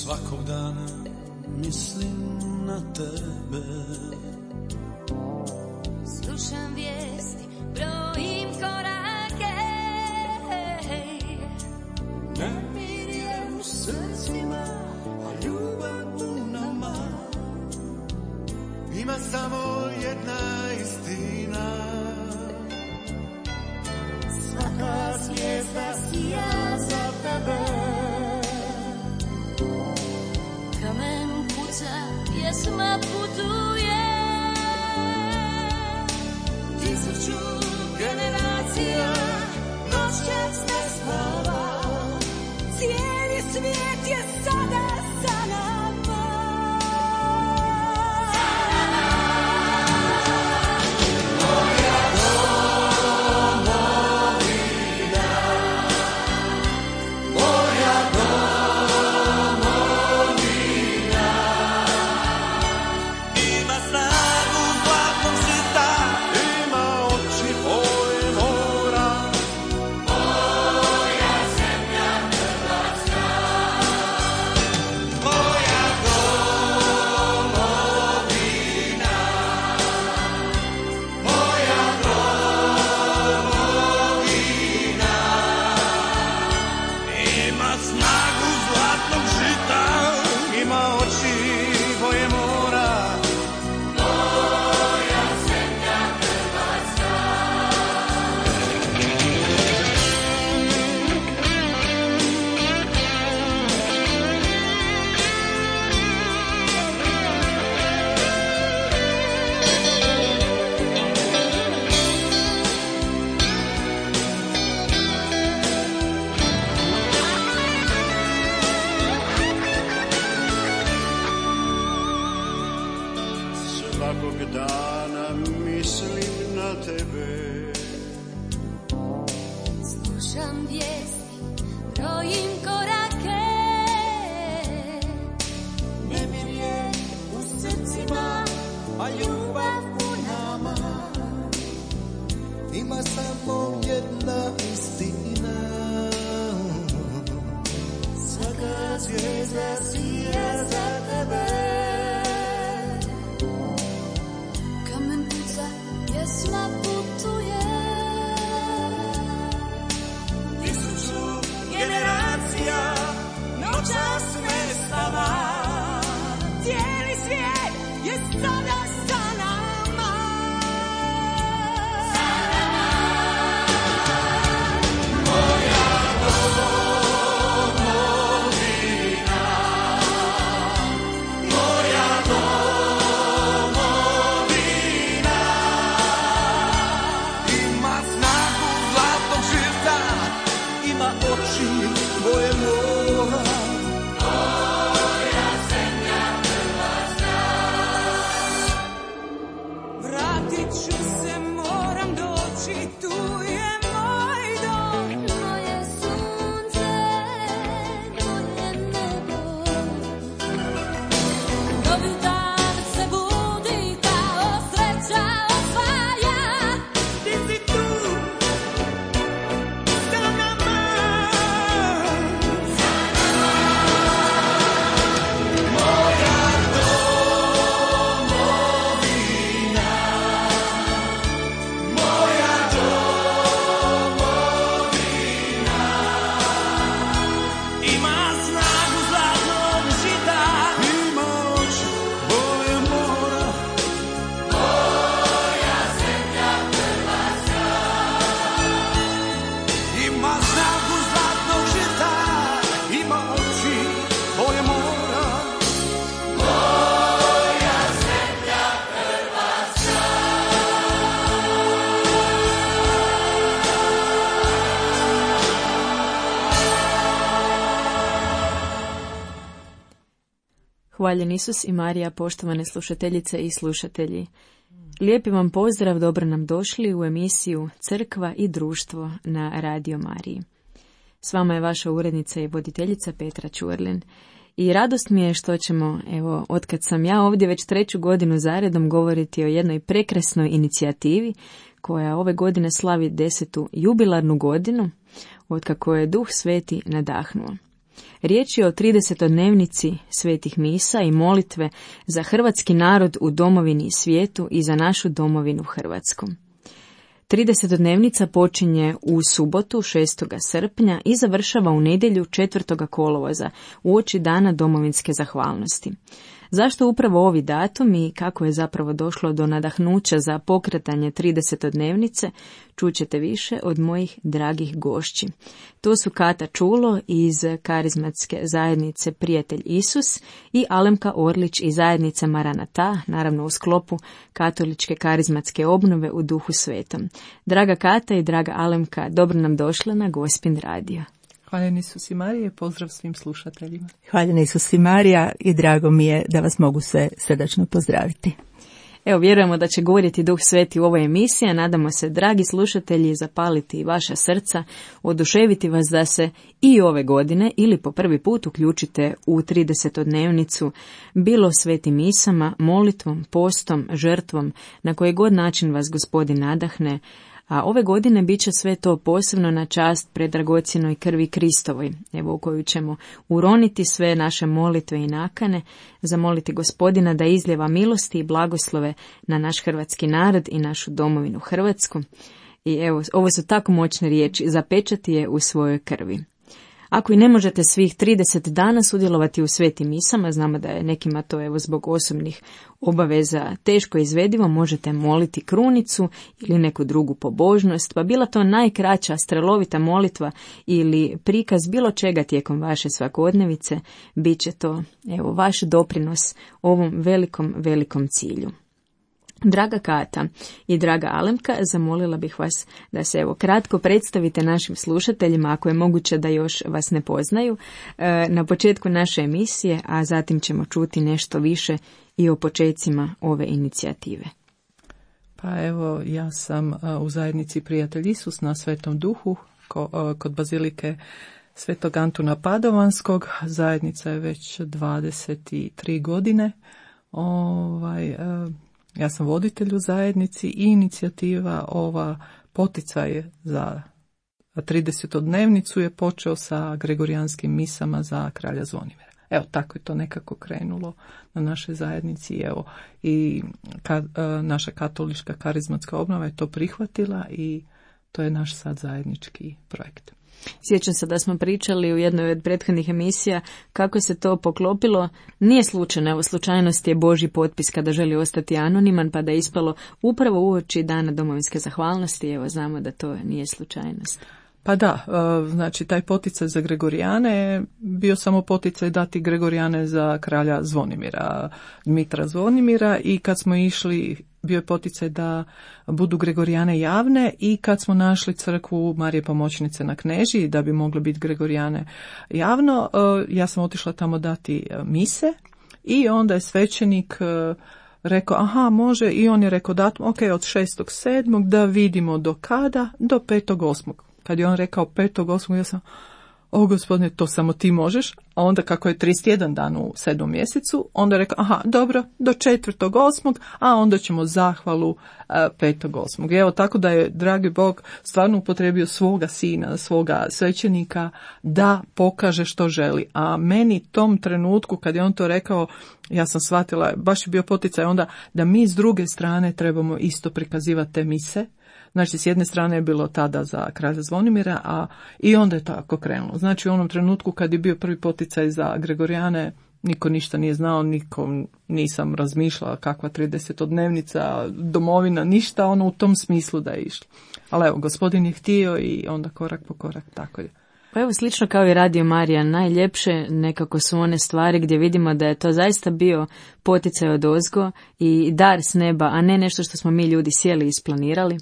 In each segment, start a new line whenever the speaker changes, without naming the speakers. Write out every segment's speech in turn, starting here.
Svakog dana mislim na tebe.
Slušam vijesti, brojim korake.
Nemir je u srcima, a ljubav u nama. Ima samo jedna istina. Svaka zvijezda sija za tebe.
Kamen puca, pjesma putuje.
1000 generacija noćas ne spava.
Cijeli svijet je sada sa nama.
Moja domovina, moja domovina. Ima snagu zlatnog žita, ima oči boje mora. Moja zemlja Hrvatska, moja domovina, moja domovina. Ima snagu zlatnog žita, ima oči boje mora. Moja zemlja Hrvatska. Svakog dana mislim na tebe.
Slušam vijesti, brojim korake.
Nemir je u srcima, a ljubav u nama. Ima samo jedna istina. Svaka zvijezda sija za tebe.
Kamen puca, pjesma putuje.
1000 generacija noćas ne spava.
Cijeli svijet je sada sa nama.
Moja domovina, moja domovina. Ima snagu zlatnog žita, ima oči boje mora. Moja zemlja Hrvatska.
Vratit ću se, moram doći, tu je moj dom. Moje sunce, moje nebo. Novi dan se budi kao sreća osvaja.
Ti si tu sa nama. Moja domovina, moja domovina. Ima snagu zlatnog žita, ima oči boje mora. Moja zemlja Hrvatska. Ima snagu zlatnog žita, ima oči boje mora. Moja zemlja Hrvatska.
Hvaljen Isus i Marija, poštovane slušateljice i slušatelji. Lijepi vam pozdrav, dobro nam došli u emisiju Crkva i društvo na Radio Mariji. S vama je vaša urednica i voditeljica Petra Čurlin. I radost mi je što ćemo, evo, otkad sam ja ovdje već 3. godinu zaredom, govoriti o jednoj prekrasnoj inicijativi koja ove godine slavi 10. jubilarnu godinu, otkako je Duh Sveti nadahnuo. Riječ je o 30-dnevnici svetih misa i molitve za hrvatski narod u domovini i svijetu i za našu domovinu Hrvatsku. 30-dnevnica počinje u subotu 6. srpnja i završava u nedjelju 4. kolovoza, uoči dana domovinske zahvalnosti. Zašto upravo ovi datumi i kako je zapravo došlo do nadahnuća za pokretanje 30-dnevnice, čućete više od mojih dragih gošći. To su Kata Čulo iz karizmatske zajednice Prijatelj Isus i Alemka Orlić iz zajednice Maranata, naravno u sklopu katoličke karizmatske obnove u Duhu Svetom. Draga Kata i draga Alemka, dobro nam došla na Gospin radio.
Hvaljeni Isus i Marija, pozdrav svim slušateljima.
Hvaljeni Isus i Marija i drago mi je da vas mogu sve srdačno pozdraviti.
Evo, vjerujemo da će govoriti Duh Sveti u ovoj emisiji, a nadamo se, dragi slušatelji, zapaliti vaša srca, oduševiti vas da se i ove godine ili po prvi put uključite u 30-dnevnicu, bilo svetim misama, molitvom, postom, žrtvom, na koji god način vas Gospodin nadahne. A ove godine bit će sve to posebno na čast predragocjenoj krvi Kristovoj, evo u koju ćemo uroniti sve naše molitve i nakane, zamoliti Gospodina da izljeva milosti i blagoslove na naš hrvatski narod i našu domovinu Hrvatsku. I evo, ovo su tako moćne riječi, zapečati je u svojoj krvi. Ako i ne možete svih 30 dana sudjelovati u svetim misama, znamo da je nekima to evo zbog osobnih obaveza teško izvedivo, možete moliti krunicu ili neku drugu pobožnost, pa bila to najkraća strelovita molitva ili prikaz bilo čega tijekom vaše svakodnevice, bit će to evo vaš doprinos ovom velikom cilju. Draga Kata i draga Alemka, zamolila bih vas da se evo kratko predstavite našim slušateljima, ako je moguće da još vas ne poznaju, na početku naše emisije, a zatim ćemo čuti nešto više i o počecima ove inicijative.
Pa evo, ja sam u zajednici Prijatelj Isus na Svetom Duhu kod bazilike Svetog Antuna Padovanskog. Zajednica je već 23 godine. Ja sam voditelj u zajednici i inicijativa ova poticaj za 30-dnevnicu je počeo sa gregorijanskim misama za kralja Zvonimira. Evo, tako je to nekako krenulo na našoj zajednici. Evo, i naša katolička karizmatska obnova je to prihvatila i to je naš sad zajednički projekt.
Sjećam se da smo pričali u jednoj od prethodnih emisija kako se to poklopilo. Nije slučajno, evo slučajnost je Božji potpis kada želi ostati anoniman, pa da je ispalo upravo uoči dana domovinske zahvalnosti. Evo, znamo da to nije slučajnost.
Pa da, znači taj poticaj za Gregorijane je bio samo poticaj dati Gregorijane za kralja Zvonimira, Dmitra Zvonimira, i kad smo išli bio je poticaj da budu Gregorijane javne, i kad smo našli crkvu Marije Pomoćnice na Knežiji da bi mogle biti Gregorijane javno, ja sam otišla tamo dati mise i onda je svećenik rekao aha može, i on je rekao datum ok, od 6.7. da vidimo do kada, do 5.8. Kad je on rekao 5.8. ja sam, o Gospodine, to samo ti možeš. A onda kako je 31 dan u 7. mjesecu, onda je rekao, aha, dobro, do 4.8. a onda ćemo zahvalu 5.8. Evo, tako da je dragi Bog stvarno upotrijebio svoga sina, svoga svećenika da pokaže što želi. A meni tom trenutku kad je on to rekao, ja sam shvatila, baš je bio poticaj onda da mi s druge strane trebamo isto prikazivati te mise. Znači, s jedne strane je bilo tada za kralja Zvonimira, a i onda je tako krenulo. Znači, u onom trenutku kad je bio prvi poticaj za Gregorijane, niko ništa nije znao, nikom nisam razmišljala kakva 30-dnevnica, domovina, ništa ono u tom smislu da je išlo. Ali evo, Gospodin je htio i onda korak po korak tako je.
Pa evo, slično kao i Radio Marija, najljepše nekako su one stvari gdje vidimo da je to zaista bio poticaj odozgo i dar s neba, a ne nešto što smo mi ljudi sjeli i isplanirali.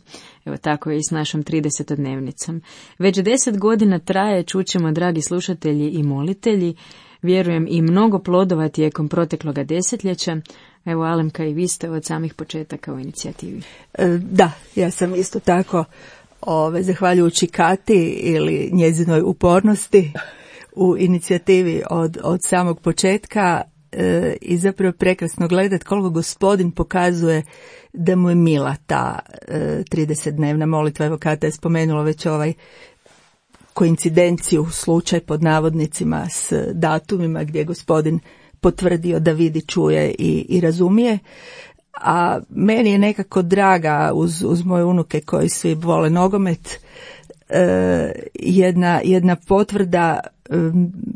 Evo, tako je i s našom 30-dnevnicom. Već 10 godina traje, čućemo, dragi slušatelji i molitelji, vjerujem i mnogo plodova tijekom protekloga desetljeća. Evo, Alemka, i vi ste od samih početaka u inicijativi.
Da, ja sam isto tako zahvaljujući Kati ili njezinoj upornosti u inicijativi od samog početka i zapravo prekrasno gledati koliko Gospodin pokazuje da mu je mila ta 30-dnevna molitva. Evo, Kata je spomenula već koincidenciju, slučaj pod navodnicima s datumima gdje je gospodin potvrdio da vidi, čuje i razumije. A meni je nekako draga uz moje unuke koji svi vole nogomet jedna potvrda.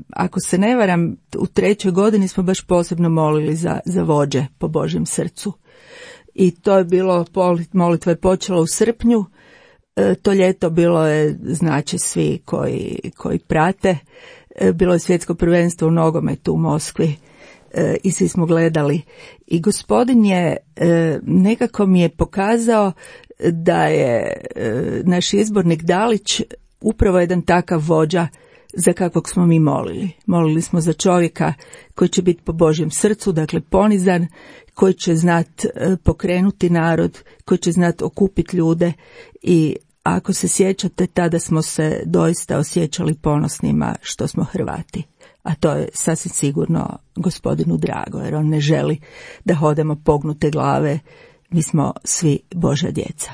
Ako se ne varam, u 3. godini smo baš posebno molili za vođe po Božjem srcu. I to je bilo, molitva je počela u srpnju, to ljeto bilo je, znači svi koji prate, bilo je svjetsko prvenstvo u nogometu u Moskvi i svi smo gledali. I gospodin je, nekako mi je pokazao da je naš izbornik Dalić upravo jedan takav vođa za kakvog smo mi molili. Molili smo za čovjeka koji će biti po Božjem srcu, dakle ponizan, koji će znat pokrenuti narod, koji će znat okupiti ljude i ako se sjećate, tada smo se doista osjećali ponosnima što smo Hrvati. A to je sasvim sigurno gospodinu drago, jer on ne želi da hodemo pognute glave, mi smo svi Božja djeca.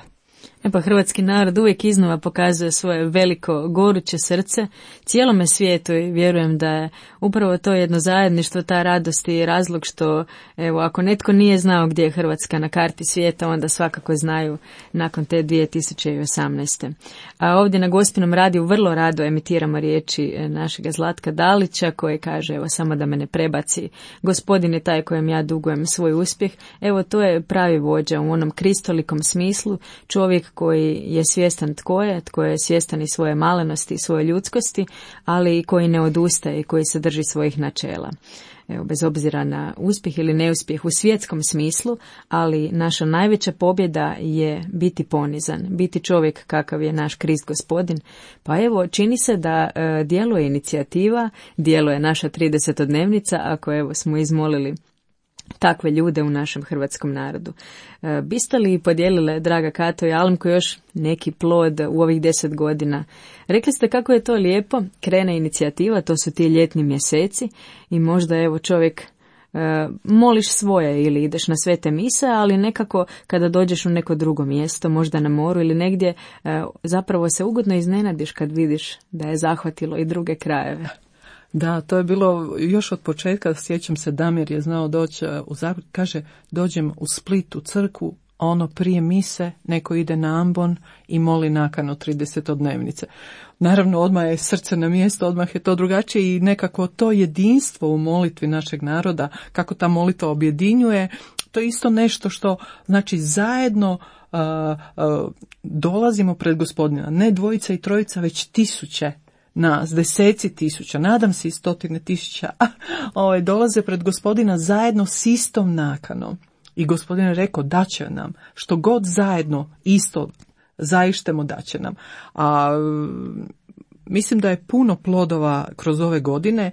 Pa hrvatski narod uvijek iznova pokazuje svoje veliko, goruće srce cijelome svijetu i vjerujem da je upravo to jedno zajedništvo, ta radost i razlog što, evo, ako netko nije znao gdje je Hrvatska na karti svijeta, onda svakako znaju nakon te 2018. A ovdje na Gospinom radiju vrlo rado emitiramo riječi našega Zlatka Dalića koji kaže, evo, samo da me ne prebaci, gospodin je taj kojem ja dugujem svoj uspjeh. Evo, to je pravi vođa u onom kristolikom smislu, čovjek koji je svjestan tko je svjestan i svoje malenosti i svoje ljudskosti, ali i koji ne odustaje i koji se drži svojih načela. Evo, bez obzira na uspjeh ili neuspjeh u svjetskom smislu, ali naša najveća pobjeda je biti ponizan, biti čovjek kakav je naš Krist Gospodin. Pa evo, čini se da djeluje inicijativa, djeluje naša 30-dnevnica, ako evo smo izmolili takve ljude u našem hrvatskom narodu. Biste li podijelile, draga Kato i Almko, još neki plod u ovih 10 godina? Rekli ste kako je to lijepo, krene inicijativa, to su ti ljetni mjeseci i možda evo čovjek moliš svoje ili ideš na svete mise, ali nekako kada dođeš u neko drugo mjesto, možda na moru ili negdje, zapravo se ugodno iznenadiš kad vidiš da je zahvatilo i druge krajeve.
Da, to je bilo još od početka, sjećam se, Damir je znao doći u Zagreb, kaže, dođem u Split u crkvu, ono prije mise, neko ide na ambon i moli nakanu 30-dnevnice. Naravno, odmah je srce na mjesto, odmah je to drugačije i nekako to jedinstvo u molitvi našeg naroda, kako ta molitva objedinjuje, to je isto nešto što, znači, zajedno dolazimo pred Gospodina, ne dvojica i trojica, već tisuće nas, 10.000, nadam se i 100.000, dolaze pred Gospodina zajedno s istom nakanom. I Gospodin je rekao, daće nam, što god zajedno isto zaištemo, daće nam. A mislim da je puno plodova kroz ove godine.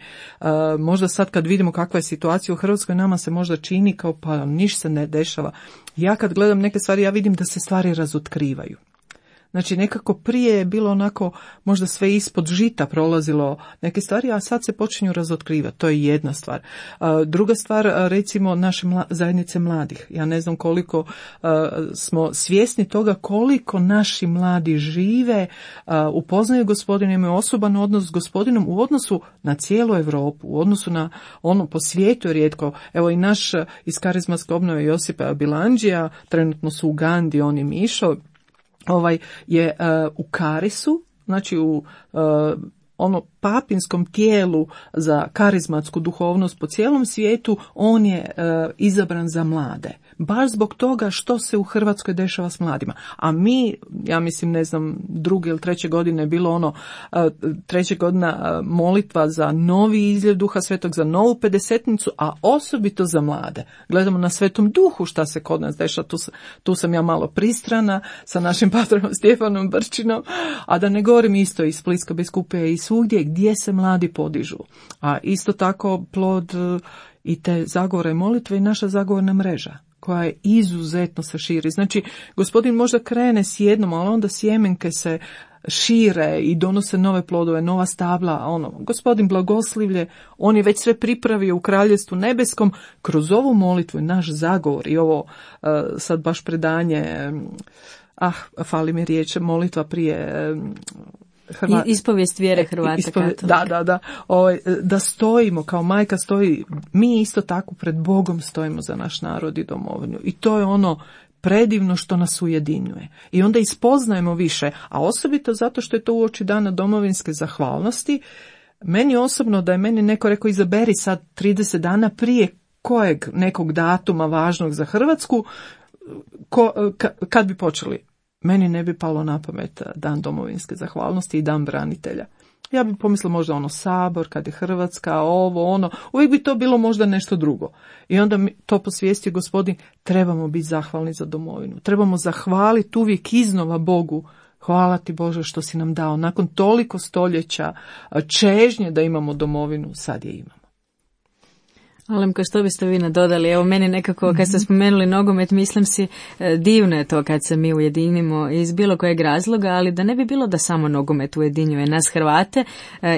Možda sad kad vidimo kakva je situacija u Hrvatskoj, nama se možda čini kao pa ništa se ne dešava. Ja kad gledam neke stvari, ja vidim da se stvari razotkrivaju. Znači nekako prije je bilo onako možda sve ispod žita prolazilo neke stvari, a sad se počinju razotkrivati. To je jedna stvar. Druga stvar, recimo naše zajednice mladih. Ja ne znam koliko smo svjesni toga koliko naši mladi žive, upoznaju Gospodina, imaju osoban odnos s Gospodinom u odnosu na cijelu Europu, u odnosu na ono po svijetu je rijetko. Evo i naš iz karizmatske obnove Josipa Bilandžija, trenutno su u Ugandi, on i Mišo, je u Karisu, znači u papinskom tijelu za karizmatsku duhovnost po cijelom svijetu, on je izabran za mlade. Baš zbog toga što se u Hrvatskoj dešava s mladima. A mi, ja mislim, ne znam, 2. ili 3. godine je bilo 3. godina molitva za novi izljev Duha Svetog, za novu pedesetnicu, a osobito za mlade. Gledamo na Svetom Duhu šta se kod nas dešava, tu sam ja malo pristrana sa našim patronom Stjefanom Brčinom, a da ne govorim isto iz Splitske biskupije i svugdje gdje se mladi podižu. A isto tako plod i te zagovore molitve i naša zagovorna mreža, koja je izuzetno se širi. Znači, Gospodin možda krene s jednom, ali onda sjemenke se šire i donose nove plodove, nova stabla. Gospodin blagoslivlje, on je već sve pripravio u Kraljevstvu nebeskom kroz ovu molitvu i naš zagovor i ovo sad baš predanje, fali mi riječ, molitva prije
Ispovijest vjere Hrvata katolika.
Da. Da stojimo, kao majka stoji, mi isto tako pred Bogom stojimo za naš narod i domovinu. I to je ono predivno što nas ujedinjuje. I onda ispoznajemo više, a osobito zato što je to uoči dana domovinske zahvalnosti. Meni osobno, da je meni neko rekao izaberi sad 30 dana prije kojeg nekog datuma važnog za Hrvatsku, kad bi počeli? Meni ne bi palo na pamet dan domovinske zahvalnosti i dan branitelja. Ja bi pomislila možda ono Sabor, kad je Hrvatska, uvijek bi to bilo možda nešto drugo. I onda mi to posvijestio Gospodin, trebamo biti zahvalni za domovinu. Trebamo zahvaliti uvijek iznova Bogu. Hvala ti Bože što si nam dao. Nakon toliko stoljeća čežnje da imamo domovinu, sad je imamo.
Alemka, što biste vi nadodali? Evo, meni nekako, kad ste spomenuli nogomet, mislim si, divno je to kad se mi ujedinimo iz bilo kojeg razloga, ali da ne bi bilo da samo nogomet ujedinjuje nas Hrvate,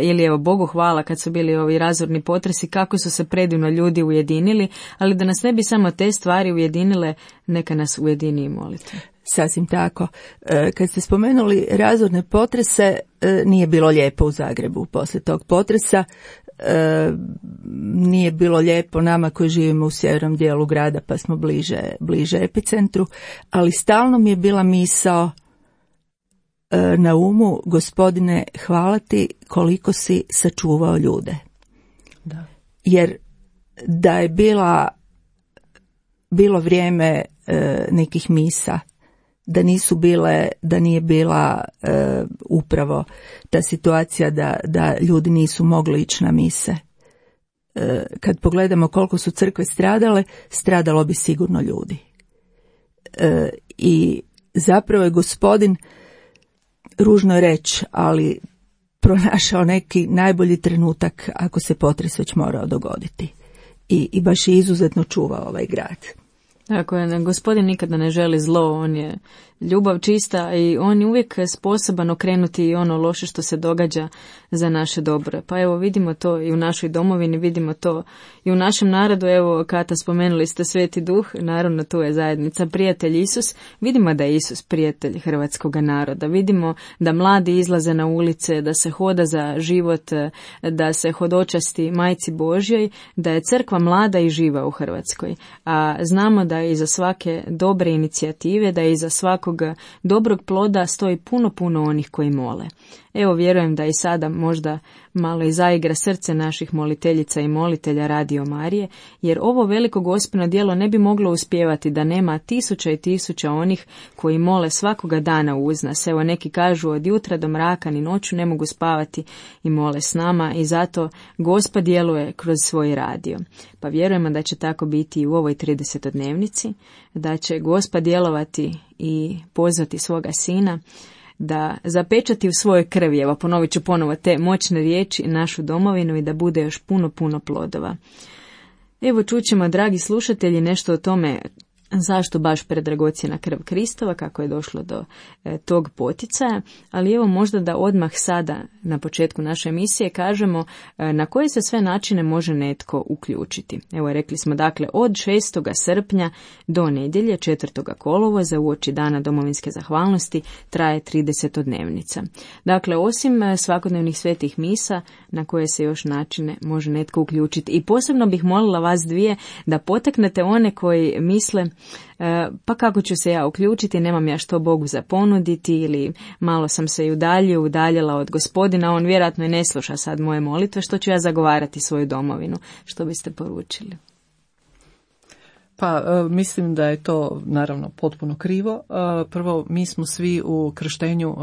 ili evo, Bogu hvala kad su bili ovi razorni potresi, kako su se predivno ljudi ujedinili, ali da nas ne bi samo te stvari ujedinile, neka nas ujedini i molite.
Sasvim tako. Kad ste spomenuli razorne potrese, nije bilo lijepo u Zagrebu poslije tog potresa. Nije bilo lijepo nama koji živimo u sjevernom dijelu grada pa smo bliže epicentru, ali stalno mi je bila misao na umu, Gospodine, hvala ti koliko si sačuvao ljude.
Da.
Jer da je bilo vrijeme nekih misa, da nije bila upravo ta situacija da ljudi nisu mogli ići na mise. Kad pogledamo koliko su crkve stradale, stradalo bi sigurno ljudi. I zapravo je Gospodin, ružno je reći, ali pronašao neki najbolji trenutak ako se potres već morao dogoditi. I baš je izuzetno čuvao ovaj grad.
Tako je, Gospodin nikada ne želi zlo, on je ljubav čista i on je uvijek sposoban okrenuti i ono loše što se događa za naše dobro. Pa evo, vidimo to i u našoj domovini, vidimo to i u našem narodu. Evo, Kata, spomenuli ste Sveti Duh, naravno tu je zajednica, prijatelj Isus. Vidimo da je Isus prijatelj hrvatskog naroda. Vidimo da mladi izlaze na ulice, da se hoda za život, da se hodočasti Majci Božjoj, da je crkva mlada i živa u Hrvatskoj. A znamo da iza svake dobre inicijative, da iza svakog dobrog ploda stoji puno onih koji mole. Evo, vjerujem da i sada možda malo i zaigra srce naših moliteljica i molitelja Radio Marije, jer ovo veliko gospino djelo ne bi moglo uspjevati da nema tisuća i tisuća onih koji mole svakoga dana uz nas. Evo, neki kažu od jutra do mraka ni noću ne mogu spavati i mole s nama i zato Gospa djeluje kroz svoj radio. Pa vjerujemo da će tako biti i u ovoj 30-dnevnici, da će Gospa djelovati i pozvati svoga Sina da zapečati u svojoj krvi, evo ponovit ću ponovo te moćne riječi, našu domovinu i da bude još puno plodova. Evo, čućemo, dragi slušatelji, nešto o tome zašto baš predragocjena krv Kristova, kako je došlo do tog poticaja, ali evo možda da odmah sada na početku naše emisije kažemo na koje se sve načine može netko uključiti. Evo, rekli smo dakle od 6. srpnja do nedjelje 4. kolovoza uoči dana domovinske zahvalnosti traje 30-dnevnica. Dakle, osim svakodnevnih svetih misa, na koje se još načine može netko uključiti. I posebno bih molila vas dvije da potaknete one koji misle pa kako ću se ja uključiti, nemam ja što Bogu za ponuditi ili malo sam se i udaljila od Gospodina, on vjerojatno i ne sluša sad moje molitve, što ću ja zagovarati svoju domovinu. Što biste poručili?
Pa mislim da je to naravno potpuno krivo. Prvo, mi smo svi u krštenju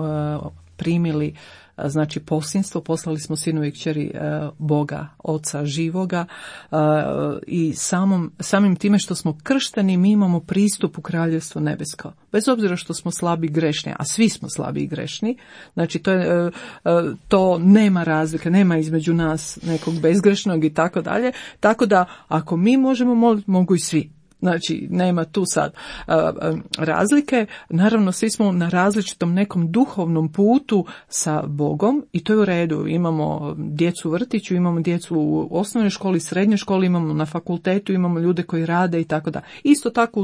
primili znači posinstvo, poslali smo sinu i kćeri Boga, Oca živoga i samim time što smo kršteni mi imamo pristup u Kraljevstvo nebesko. Bez obzira što smo slabi i grešni, a svi smo slabi i grešni, znači to nema razlike, nema između nas nekog bezgrešnog i tako dalje, tako da ako mi možemo moliti, mogu i svi. Znači, nema tu sad razlike. Naravno, svi smo na različitom nekom duhovnom putu sa Bogom i to je u redu. Imamo djecu u vrtiću, imamo djecu u osnovnoj školi, srednjoj školi, imamo na fakultetu, imamo ljude koji rade i tako da. Isto tako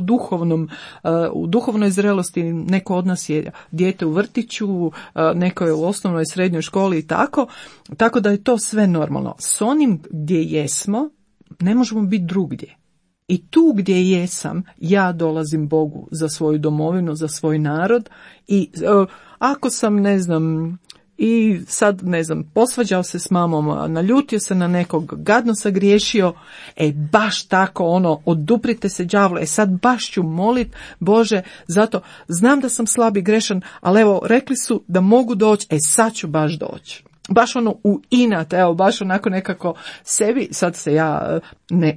u duhovnoj zrelosti neko od nas je dijete u vrtiću, neko je u osnovnoj, srednjoj školi i tako. Tako da je to sve normalno. S onim gdje jesmo, ne možemo biti drugdje. I tu gdje jesam, ja dolazim Bogu za svoju domovinu, za svoj narod i ako sam, ne znam, i sad, ne znam, posvađao se s mamom, naljutio se na nekog, gadno sagriješio, baš tako, oduprite se đavlu, sad baš ću molit, Bože, zato znam da sam slab i grešan, ali evo, rekli su da mogu doći, sad ću baš doći. Baš u inat, baš onako nekako sebi, sad se ja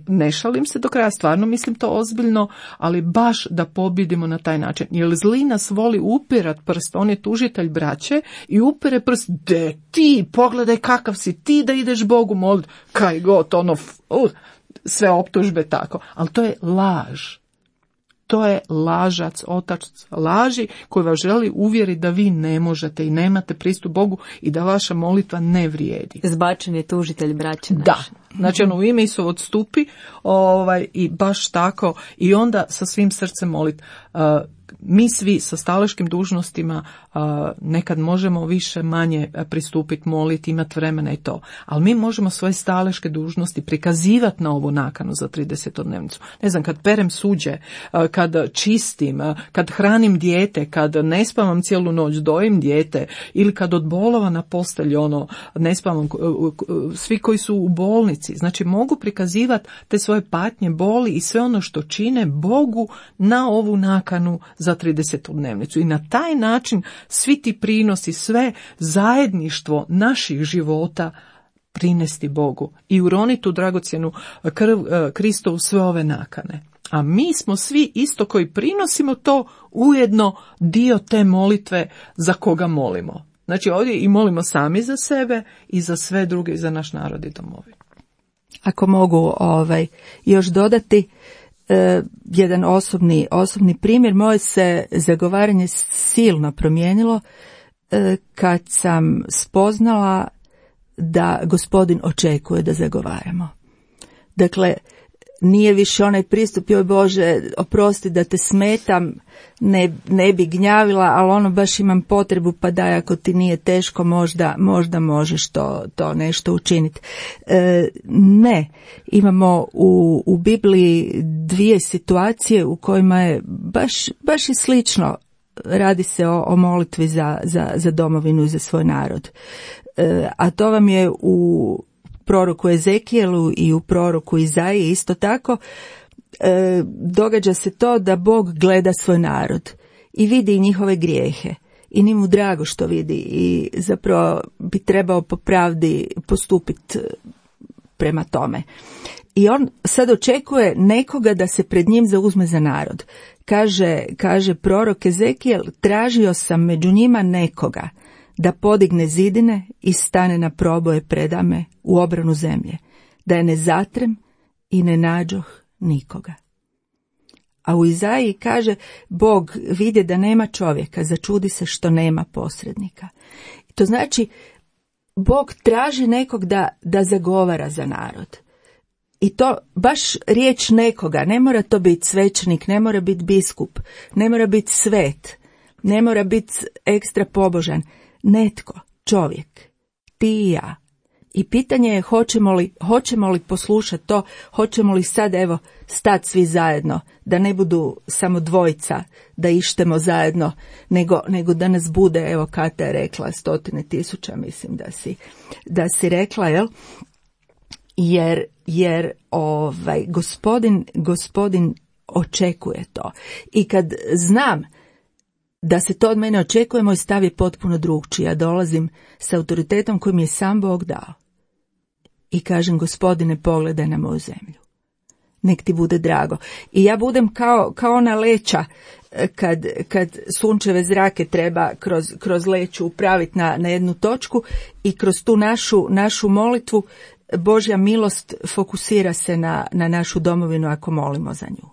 ne šalim se do kraja, stvarno mislim to ozbiljno, ali baš da pobjedimo na taj način. Jer zli nas voli upirat prst, on je tužitelj braće i upire prst, de ti, pogledaj kakav si ti da ideš Bogu molit, kaj god, sve optužbe tako, ali to je laž. To je lažac, otac laži koji vas želi uvjeriti da vi ne možete i nemate pristup Bogu i da vaša molitva ne vrijedi.
Zbačen je tužitelj braće naše.
Da, znači u ime Isu odstupi i baš tako i onda sa svim srcem molit. Mi svi sa staleškim dužnostima nekad možemo više manje pristupiti, moliti, imati vremena i to. Ali mi možemo svoje staleške dužnosti prikazivati na ovu nakanu za 30-dnevnicu. Ne znam, kad perem suđe, kad čistim, kad hranim dijete, kad ne spavam cijelu noć, dojim dijete ili kad od bolova na postelji ne spavam, svi koji su u bolnici. Znači mogu prikazivati te svoje patnje, boli i sve ono što čine Bogu na ovu nakanu za 30-dnevnicu. I na taj način svi ti prinosi, sve zajedništvo naših života prinesti Bogu i uroniti u dragocjenu krv Kristovu sve ove nakane. A mi smo svi isto koji prinosimo to ujedno dio te molitve za koga molimo. Znači ovdje i molimo sami za sebe i za sve druge i za naš narod i domovinu.
Ako mogu još dodati jedan osobni primjer, moje se zagovaranje silno promijenilo kad sam spoznala da Gospodin očekuje da zagovaramo. Dakle, nije više onaj pristup, joj Bože, oprosti da te smetam, ne bi gnjavila, ali baš imam potrebu, pa daj, ako ti nije teško, možda možeš to nešto učiniti. Ne, imamo u Bibliji dvije situacije u kojima je baš i slično. Radi se o molitvi za domovinu i za svoj narod. A to vam je u proroku Ezekijelu i u proroku Izaiji isto tako. Događa se to da Bog gleda svoj narod i vidi njihove grijehe i nije mu drago što vidi i zapravo bi trebao po pravdi postupiti prema tome. I on sad očekuje nekoga da se pred njim zauzme za narod. Kaže prorok Ezekijel, tražio sam među njima nekoga da podigne zidine i stane na proboje predame u obranu zemlje, da je ne zatrem i ne nađoh nikoga. A u Izaiji kaže, Bog vidje da nema čovjeka, začudi se što nema posrednika. To znači, Bog traži nekog da zagovara za narod. I to baš riječ nekoga, ne mora to biti svećenik, ne mora biti biskup, ne mora biti svet, ne mora biti ekstra pobožan. Netko, čovjek, ti i ja. I pitanje je hoćemo li poslušati to, hoćemo li sad stati svi zajedno, da ne budu samo dvojica, da ištemo zajedno, nego da nas bude, Kata je rekla 100.000, mislim da si rekla, jel? Jer gospodin očekuje to. I kad znam da se to od mene očekuje, moj stav je potpuno drugčiji. Ja dolazim s autoritetom koji mi je sam Bog dao. I kažem, Gospodine, pogledaj na moju zemlju. Nek ti bude drago. I ja budem kao ona leća kad sunčeve zrake treba kroz leću upraviti na jednu točku i kroz tu našu molitvu Božja milost fokusira se na našu domovinu ako molimo za nju.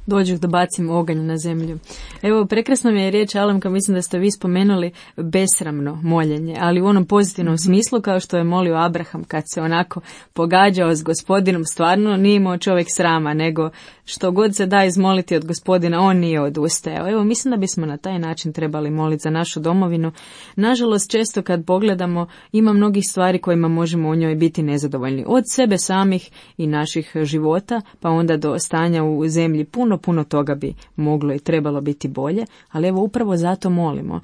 Dođu da bacim oganj na zemlju. Evo, prekrasno mi je riječ, Alemka, mislim da ste vi spomenuli besramno moljenje, ali u onom pozitivnom smislu, kao što je molio Abraham kad se onako pogađao s Gospodinom, stvarno nije imao čovjek srama, nego što god se da izmoliti od Gospodina, on nije odustajao. Evo, mislim da bismo na taj način trebali moliti za našu domovinu. Nažalost, često kad pogledamo, ima mnogih stvari kojima možemo u njoj biti nezadovoljni. Od sebe samih i naših života, pa onda do stanja u zemlji. Puno toga bi moglo i trebalo biti bolje, ali evo upravo zato molimo.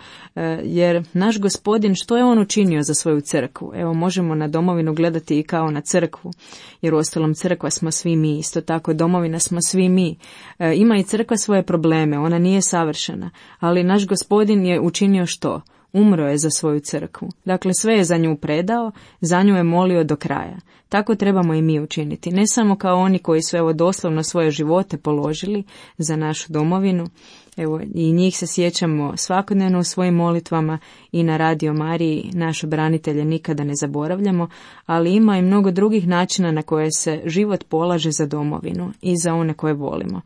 Jer naš Gospodin, što je on učinio za svoju crkvu? Evo, možemo na domovinu gledati i kao na crkvu, jer uostalom crkva smo svi mi, isto tako domovina smo svi mi. Ima i crkva svoje probleme, ona nije savršena, ali naš Gospodin je učinio što? Umro je za svoju crkvu. Dakle, sve je za nju predao, za nju je molio do kraja. Tako trebamo i mi učiniti. Ne samo kao oni koji su evo doslovno svoje živote položili za našu domovinu. Evo, i njih se sjećamo svakodnevno u svojim molitvama i na Radio Mariji naše branitelje nikada ne zaboravljamo, ali ima i mnogo drugih načina na koje se život polaže za domovinu i za one koje volimo.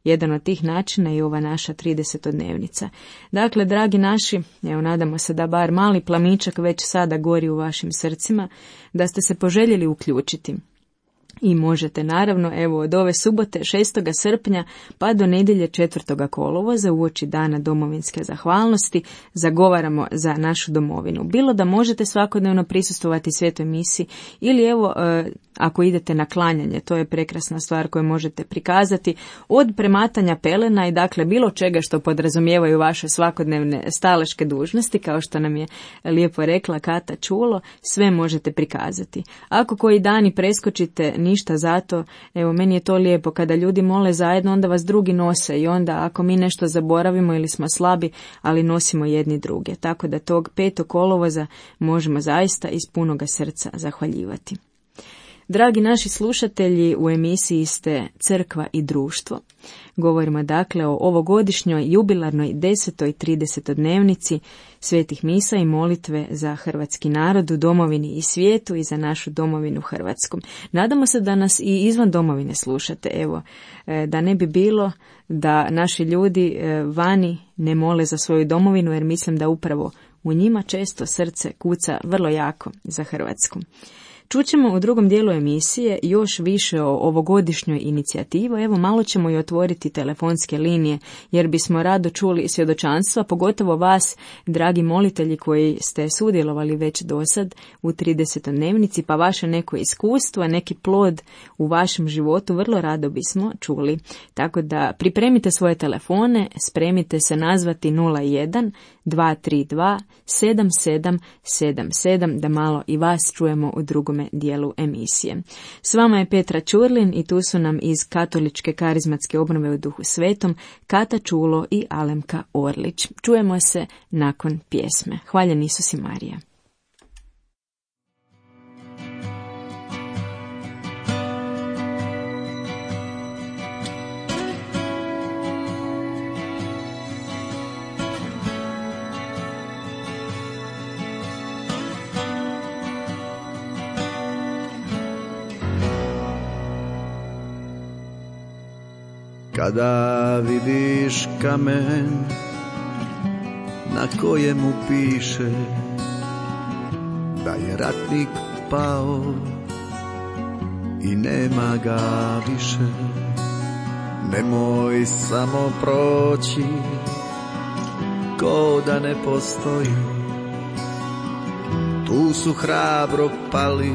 Jedan od tih načina je ova naša 30-dnevnica. Dakle, dragi naši, evo nadamo se da bar mali plamičak već sada gori u vašim srcima, da ste se poželjeli uključiti. I možete naravno, evo od ove subote 6. srpnja pa do nedjelje 4. kolovoza uoči dana domovinske zahvalnosti zagovaramo za našu domovinu. Bilo da možete svakodnevno prisustvovati svetoj misi ili evo ako idete na klanjanje, to je prekrasna stvar koju možete prikazati, od prematanja pelena i dakle bilo čega što podrazumijevaju vaše svakodnevne staleške dužnosti, kao što nam je lijepo rekla Kata Čulo, sve možete prikazati. Ako koji dani preskočite, ništa zato, evo meni je to lijepo, kada ljudi mole zajedno, onda vas drugi nose i onda ako mi nešto zaboravimo ili smo slabi, ali nosimo jedni druge. Tako da tog 5. kolovoza možemo zaista iz punoga srca zahvaljivati. Dragi naši slušatelji, u emisiji ste Crkva i društvo. Govorimo dakle o ovogodišnjoj jubilarnoj 10. 30-dnevnici svetih misa i molitve za hrvatski narod u domovini i svijetu i za našu domovinu Hrvatsku. Nadamo se da nas i izvan domovine slušate, evo, da ne bi bilo da naši ljudi vani ne mole za svoju domovinu, jer mislim da upravo u njima često srce kuca vrlo jako za Hrvatsku. Čućemo u drugom dijelu emisije još više o ovogodišnjoj inicijativi. Evo malo ćemo i otvoriti telefonske linije, jer bismo rado čuli svjedočanstva, pogotovo vas, dragi molitelji koji ste sudjelovali već dosad u 30-dnevnici, pa vaše neko iskustvo, neki plod u vašem životu vrlo rado bismo čuli. Tako da pripremite svoje telefone, spremite se nazvati 01 232 7777 da malo i vas čujemo u drugome dijelu emisije. S vama je Petra Ćurlin i tu su nam iz Katoličke karizmatske obnove u Duhu Svetom Kata Čulo i Alemka Orlić. Čujemo se nakon pjesme. Hvaljen Isus i Marija.
Kada vidiš kamen na kojemu piše da je ratnik pao i nema ga više, nemoj samo proći ko da ne postoji. Tu su hrabro pali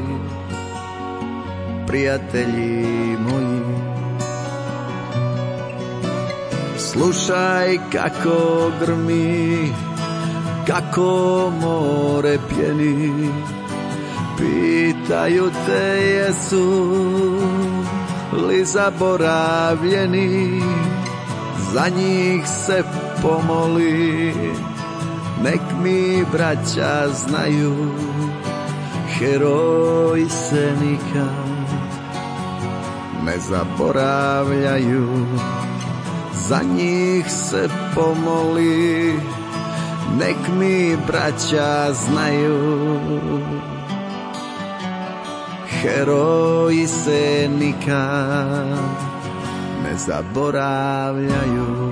prijatelji moji. Slušaj kako grmi, kako more pjeni, pitaju te jesu li zaboravljeni, za njih se pomoli, nek mi braća znaju, heroji se nikad ne zaboravljaju. Za njih se pomoli, nek mi braća znaju, heroji se nikad ne zaboravljaju.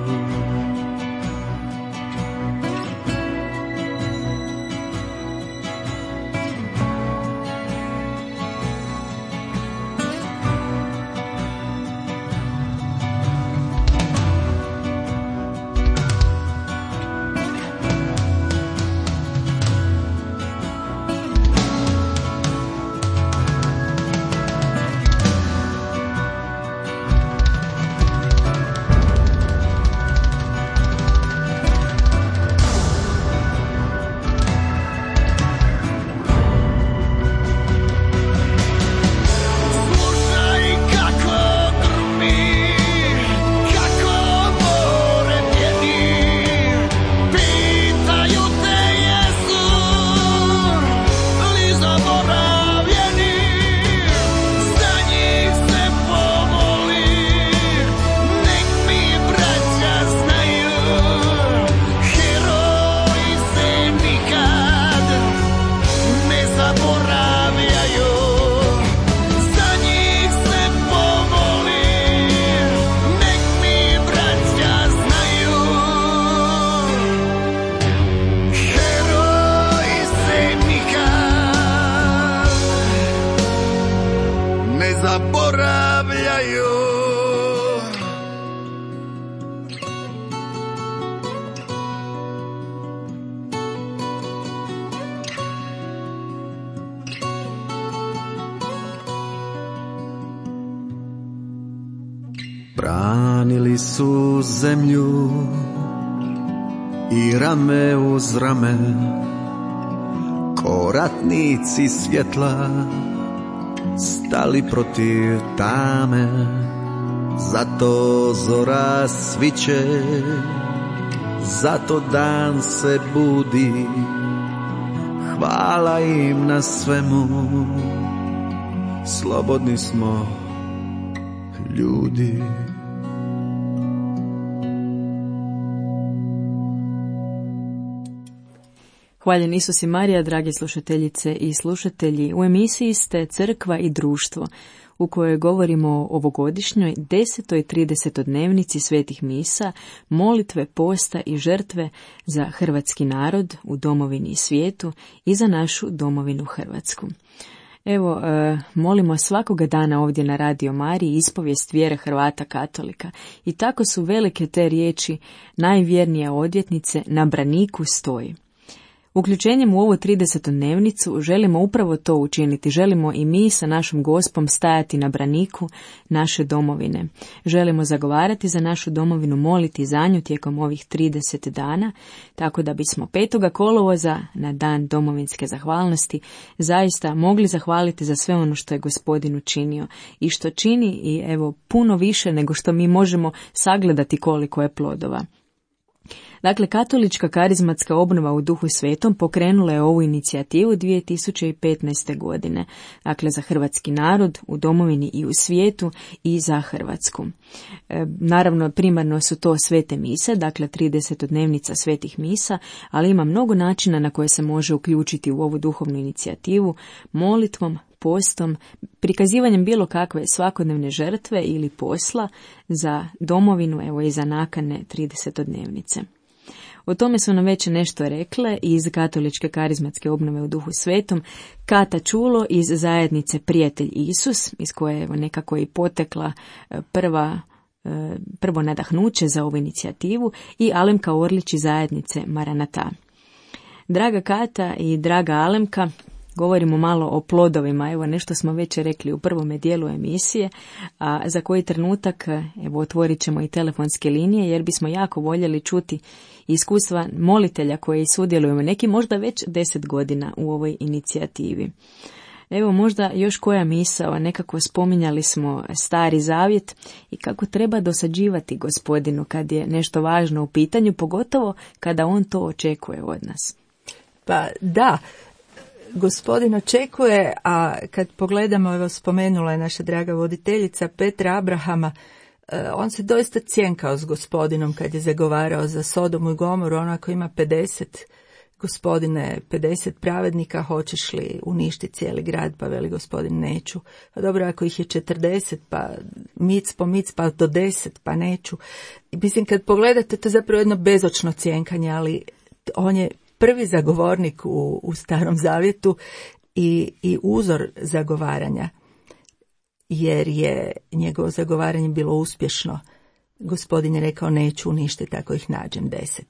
Branili su zemlju i rame uz rame, ko ratnici svjetla stali protiv tame. Zato zora sviće, zato dan se budi, hvala im na svemu, slobodni smo ljudi.
Hvaljen Isus i Marija, drage slušateljice i slušatelji. U emisiji ste Crkva i društvo, u kojoj govorimo o ovogodišnjoj 10. i 30. dnevnici svetih misa, molitve, posta i žrtve za hrvatski narod u domovini i svijetu i za našu domovinu Hrvatsku. Evo, molimo svakoga dana ovdje na Radio Mariji ispovijest vjere Hrvata katolika. I tako su velike te riječi najvjernije odvjetnice na braniku stoji. Uključenjem u ovu 30. dnevnicu želimo upravo to učiniti. Želimo i mi sa našom Gospom stajati na braniku naše domovine. Želimo zagovarati za našu domovinu, moliti za nju tijekom ovih 30 dana, tako da bismo 5. kolovoza na dan domovinske zahvalnosti zaista mogli zahvaliti za sve ono što je Gospodin učinio i što čini i evo puno više nego što mi možemo sagledati koliko je plodova. Dakle, katolička karizmatska obnova u Duhu Svetom pokrenula je ovu inicijativu 2015. godine. Dakle, za hrvatski narod u domovini i u svijetu i za Hrvatsku. Naravno, primarno su to svete mise, dakle 30. dnevnica svetih misa, ali ima mnogo načina na koje se može uključiti u ovu duhovnu inicijativu, molitvom, postom, prikazivanjem bilo kakve svakodnevne žrtve ili posla za domovinu, evo i za nakane 30. dnevnice. O tome su nam već nešto rekle iz katoličke karizmatske obnove u Duhu Svetom Kata Čulo iz zajednice Prijatelj Isus, iz koje je nekako i potekla prvo nadahnuće za ovu inicijativu, i Alemka Orlić iz zajednice Maranata. Draga Kata i draga Alemka, govorimo malo o plodovima. Evo, nešto smo već rekli u prvome dijelu emisije, a za koji trenutak evo otvorit ćemo i telefonske linije, jer bismo jako voljeli čuti iskustva molitelja koji sudjeluju neki možda već 10 godina u ovoj inicijativi. Evo, možda još koja misao, nekako spominjali smo Stari Zavjet i kako treba dosađivati Gospodinu kad je nešto važno u pitanju, pogotovo kada on to očekuje od nas.
Pa da, Gospodin očekuje, a kad pogledamo, evo spomenula je naša draga voditeljica Petra Abrahama, on se doista cjenkao s Gospodinom kad je zagovarao za Sodomu i Gomoru, onako ima 50 gospodine, 50 pravednika, hoćeš li uništiti cijeli grad? Pa veli gospodin, neću. Pa dobro, ako ih je 40, pa mic po mic, pa do 10, pa neću. I mislim, kad pogledate, to je zapravo jedno bezočno cjenkanje, ali on je prvi zagovornik u Starom Zavjetu i uzor zagovaranja, jer je njegovo zagovaranje bilo uspješno. Gospodin je rekao, neću uništiti ako ih nađem 10.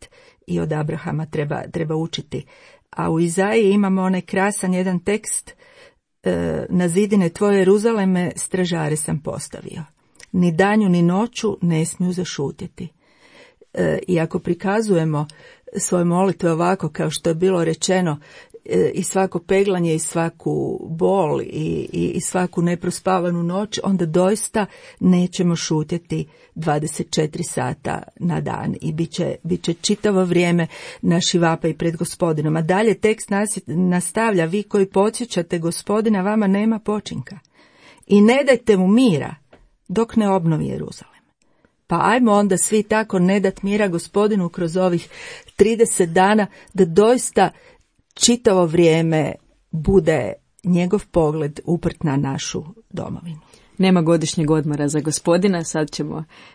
I od Abrahama treba učiti. A u Izaiji imamo onaj krasan jedan tekst, na zidine tvoje Jeruzaleme stražare sam postavio. Ni danju ni noću ne smiju zašutjeti. I ako prikazujemo svoje molitve ovako kao što je bilo rečeno, i svako peglanje i svaku bol i svaku neprospavanu noć, onda doista nećemo šutjeti 24 sata na dan i bit će čitavo vrijeme naši vapaj pred Gospodinom. A dalje tekst nastavlja, vi koji podsjećate Gospodina, vama nema počinka i ne dajte mu mira dok ne obnovi Jeruzalem. Pa ajmo onda svi tako ne dat mira Gospodinu kroz ovih 30 dana, da doista čitavo vrijeme bude njegov pogled uprt na našu domovinu.
Nema godišnjeg odmora za Gospodina,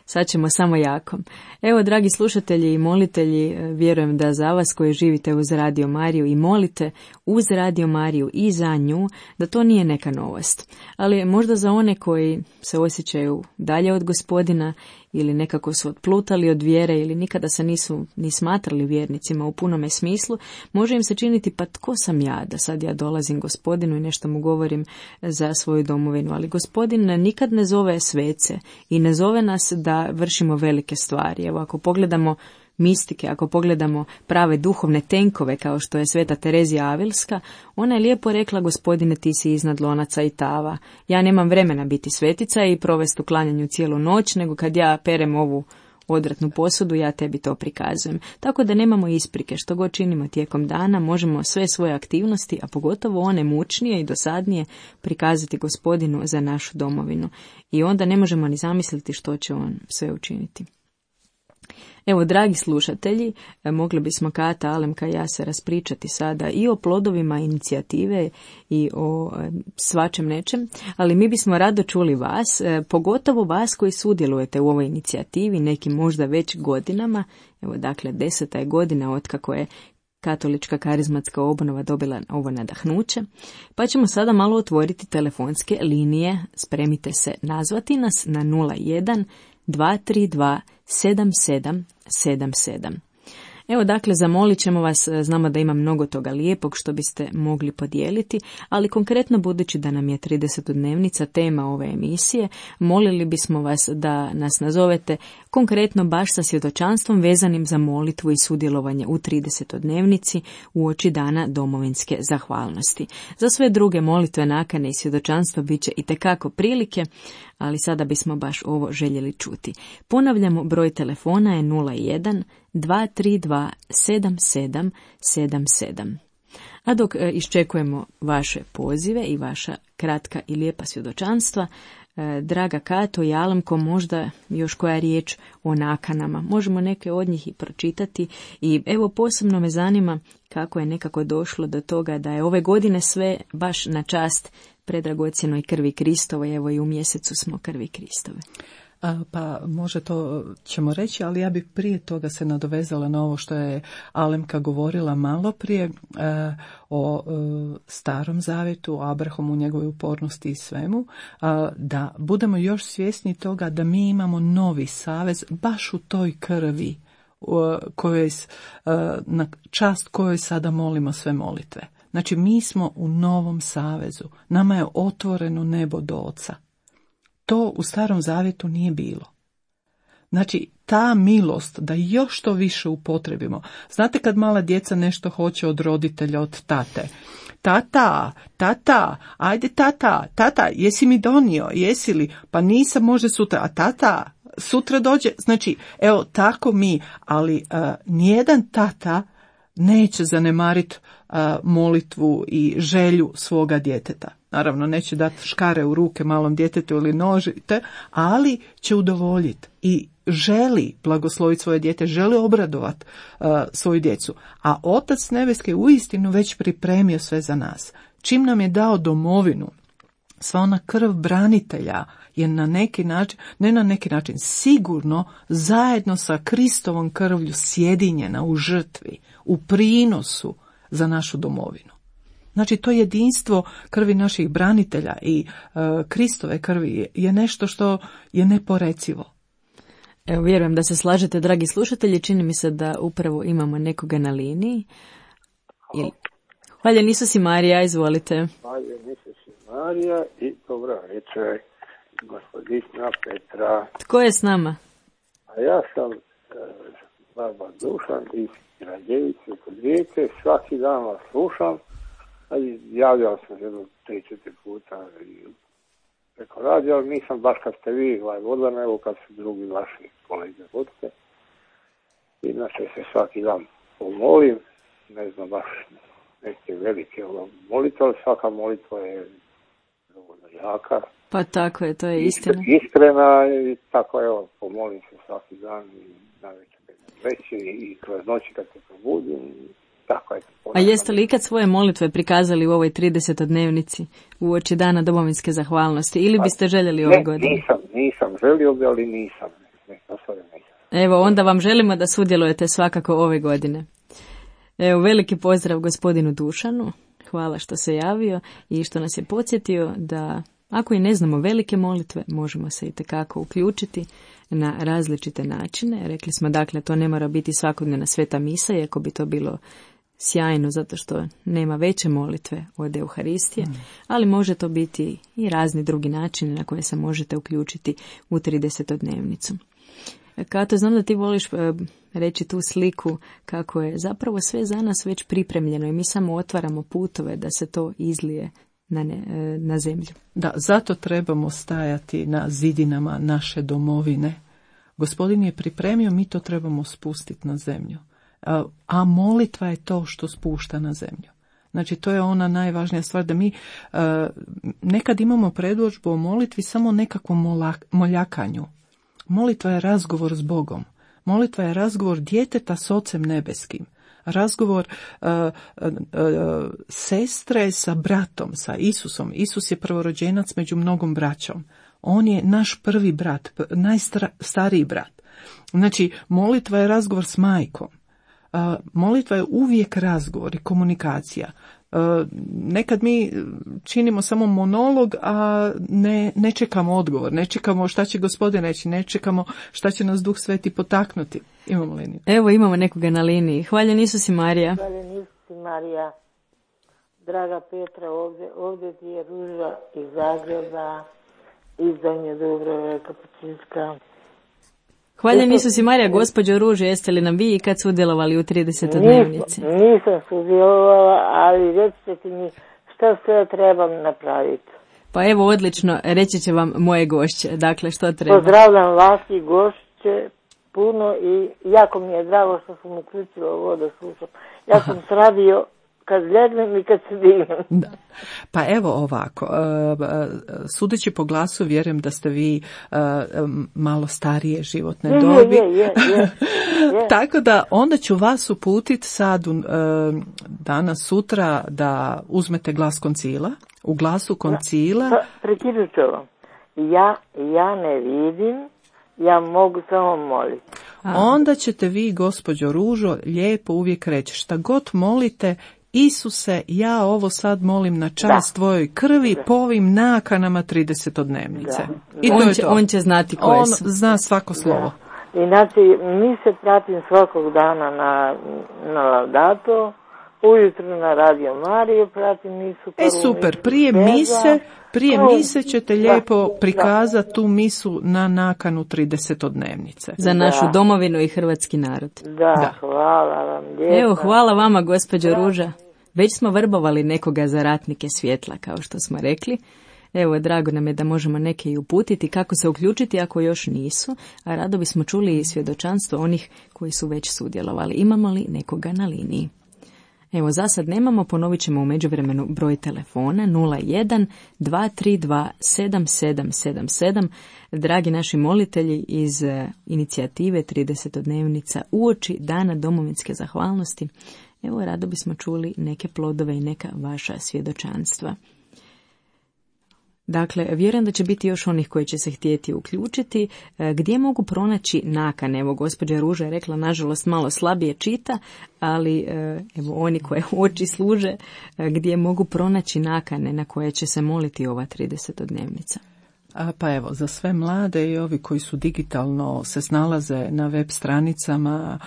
sad ćemo samo jako. Evo, dragi slušatelji i molitelji, vjerujem da za vas koji živite uz Radio Mariju i molite uz Radio Mariju i za nju, da to nije neka novost. Ali možda za one koji se osjećaju dalje od Gospodina ili nekako su otplutali od vjere ili nikada se nisu ni smatrali vjernicima u punome smislu, može im se činiti, pa tko sam ja da sad ja dolazim Gospodinu i nešto mu govorim za svoju domovinu. Ali Gospodin nikad ne zove svece i ne zove nas da vršimo velike stvari. Evo, ako pogledamo mistike, ako pogledamo prave duhovne tenkove kao što je Sveta Terezija Avilska, ona je lijepo rekla, Gospodine, ti si iznad lonaca i tava. Ja nemam vremena biti svetica i provesti u klanjanju cijelu noć, nego kad ja perem ovu odvratnu posudu, ja tebi to prikazujem. Tako da nemamo isprike, što god činimo tijekom dana, možemo sve svoje aktivnosti, a pogotovo one mučnije i dosadnije, prikazati Gospodinu za našu domovinu. I onda ne možemo ni zamisliti što će on sve učiniti. Evo, dragi slušatelji, mogli bismo Kata, Alemka i ja se raspričati sada i o plodovima inicijative i o svačem nečem, ali mi bismo rado čuli vas, pogotovo vas koji sudjelujete u ovoj inicijativi, nekim možda već godinama. Evo, dakle, 10. je godina otkako je Katolička karizmatska obnova dobila ovo nadahnuće, pa ćemo sada malo otvoriti telefonske linije. Spremite se nazvati nas na 01 232 7777. Evo, dakle, zamolit ćemo vas, znamo da ima mnogo toga lijepog što biste mogli podijeliti, ali konkretno budući da nam je 30-dnevnica tema ove emisije, molili bismo vas da nas nazovete konkretno baš sa svjedočanstvom vezanim za molitvu i sudjelovanje u 30-dnevnici uoči dana domovinske zahvalnosti. Za sve druge molitve, nakane i svjedočanstva bit će itekako prilike, ali sada bismo baš ovo željeli čuti. Ponavljamo, broj telefona je 01 232 7777. A dok iščekujemo vaše pozive i vaša kratka i lijepa svjedočanstva, draga Kato i Alemko, možda još koja riječ o nakanama. Možemo neke od njih i pročitati i evo, posebno me zanima kako je nekako došlo do toga da je ove godine sve baš na čast predragocjenoj krvi Kristovoj, evo i u mjesecu smo krvi Kristove.
Pa može to ćemo reći, ali ja bih prije toga se nadovezala na ovo što je Alemka govorila malo prije o Starom Zavjetu, o Abrahamu, njegovoj upornosti i svemu, da budemo još svjesni toga da mi imamo novi savez baš u toj krvi na čast kojoj sada molimo sve molitve. Znači, mi smo u novom savezu, nama je otvoreno nebo do Oca. To u Starom Zavjetu nije bilo. Znači, ta milost da još to više upotrebimo. Znate kad mala djeca nešto hoće od roditelja, od tate? Tata, ajde tata, jesi mi donio, jesi li? Pa nisam, može sutra, a tata, sutra dođe. Znači, evo, tako mi, ali nijedan tata neće zanemariti molitvu i želju svoga djeteta. Naravno, neće dati škare u ruke malom djetetu ili nožite, ali će udovoljiti. I želi blagosloviti svoje dijete, želi obradovati svoju djecu. A Otac nebeski je uistinu već pripremio sve za nas. Čim nam je dao domovinu, sva ona krv branitelja je na neki način, ne na neki način, sigurno zajedno sa Kristovom krvlju sjedinjena u žrtvi, u prinosu za našu domovinu. Znači, to jedinstvo krvi naših branitelja i Kristove krvi je nešto što je neporecivo.
Evo, vjerujem da se slažete, dragi slušatelji, čini mi se da upravo imamo nekoga na liniji. Hvaljen Isus i Marija, izvolite.
Hvaljen Isus i Marija i dobro večer, gospodina Petra.
Tko je s nama?
A ja sam baba Dušan iz Radjevice kod Rijeke, svaki dan vas slušam, ali javljao sam jedno 3-4 puta preko radija, ali nisam baš kad ste vi vodila, nego kad su drugi vaši kolege vodite. Inače se svaki dan pomolim, ne znam baš neke velike molitve, ali svaka molitva je dovoljno jaka.
Pa tako je, to je istina.
Iskrena i tako, evo, pomolim se svaki dan i navečer veći i kroz noći kad se probudim, tako je.
A jeste li ikad svoje molitve prikazali u ovoj 30-dnevnici uoči dana domovinske zahvalnosti ili biste željeli ove godine?
Nisam želio, ali nisam.
Evo, onda vam želimo da sudjelujete svakako ove godine. Evo, veliki pozdrav gospodinu Dušanu, hvala što se javio i što nas je podsjetio da ako i ne znamo velike molitve, možemo se itekako uključiti na različite načine. Rekli smo, dakle, to ne mora biti svakodnevna sveta misa, iako bi to bilo sjajno zato što nema veće molitve od Euharistije, ali može to biti i razni drugi načini na koje se možete uključiti u 30-dnevnicu. Kato, znam da ti voliš reći tu sliku kako je zapravo sve za nas već pripremljeno i mi samo otvaramo putove da se to izlije na zemlju.
Da, zato trebamo stajati na zidinama naše domovine. Gospodin je pripremio, mi to trebamo spustiti na zemlju. A molitva je to što spušta na zemlju. Znači, to je ona najvažnija stvar, da mi nekad imamo predodžbu o molitvi samo nekakvom moljakanju. Molitva je razgovor s Bogom. Molitva je razgovor djeteta s Ocem nebeskim. Razgovor sestre sa bratom, sa Isusom. Isus je prvorođenac među mnogom braćom. On je naš prvi brat, najstariji brat. Znači, molitva je razgovor s majkom. Molitva je uvijek razgovor i komunikacija. Nekad mi činimo samo monolog, a ne čekamo odgovor, ne čekamo šta će Gospodin reći, ne čekamo šta će nas Duh Sveti potaknuti. Imamo liniju.
Evo, imamo nekoga na liniji. Hvaljen Isus i Marija.
Hvaljen Isus i Marija. Draga Petra, ovdje ti je Ruža iz Zagreba, iz Donje Dubrave, Kapućinska.
Hvaljen Isus i Marija, gospođo Ruže, jeste li nam vi kad sudjelovali u 30-dnevnici?
Nisam sudjelovala, ali recite mi što sve trebam napraviti.
Pa evo, odlično, reći će vam moje gošće. Dakle, što treba?
Pozdravljam vas i gošće puno i jako mi je drago što sam uključila ovo da slušam. Ja sam sradio kad legnem i kad se dignem.
Da. Pa evo ovako, sudeći po glasu vjerujem da ste vi malo starije životne dobi.
Je.
Tako da onda ću vas uputiti sad danas sutra da uzmete glas koncila. U glasu koncila...
Prekinut ću vam. Ja ne vidim, ja mogu samo moliti.
Onda ćete vi, gospođo Ružo, lijepo uvijek reći šta god molite, Isuse, ja ovo sad molim na čast tvojoj krvi po ovim nakanama 30-dnevnice. I to je to.
On će znati koje su.
On zna svako slovo.
Inače, mi se pratim svakog dana na Laudato, ujutru na Radio Mariju pratim misu.
Super, prije mise ćete lijepo prikazati tu misu na nakanu 30-dnevnice.
Za našu domovinu i hrvatski narod.
Da, hvala vam lijepo.
Evo, hvala vama, gospođo Ruža. Već smo vrbovali nekoga za ratnike svjetla, kao što smo rekli. Evo, drago nam je da možemo neke i uputiti kako se uključiti ako još nisu, a rado bismo čuli i svjedočanstvo onih koji su već sudjelovali. Imamo li nekoga na liniji? Evo, za sad nemamo, ponovit ćemo u međuvremenu broj telefona 01 232 7777. Dragi naši molitelji iz inicijative 30-dnevnica uoči Dana domovinske zahvalnosti, evo, rado bismo čuli neke plodove i neka vaša svjedočanstva. Dakle, vjerujem da će biti još onih koji će se htjeti uključiti. Gdje mogu pronaći nakane? Evo, gospođa Ruža je rekla, nažalost, malo slabije čita, ali evo, oni koje oči služe, gdje mogu pronaći nakane na koje će se moliti ova 30-dnevnica?
Pa evo, za sve mlade i ovi koji su digitalno se snalaze na web stranicama,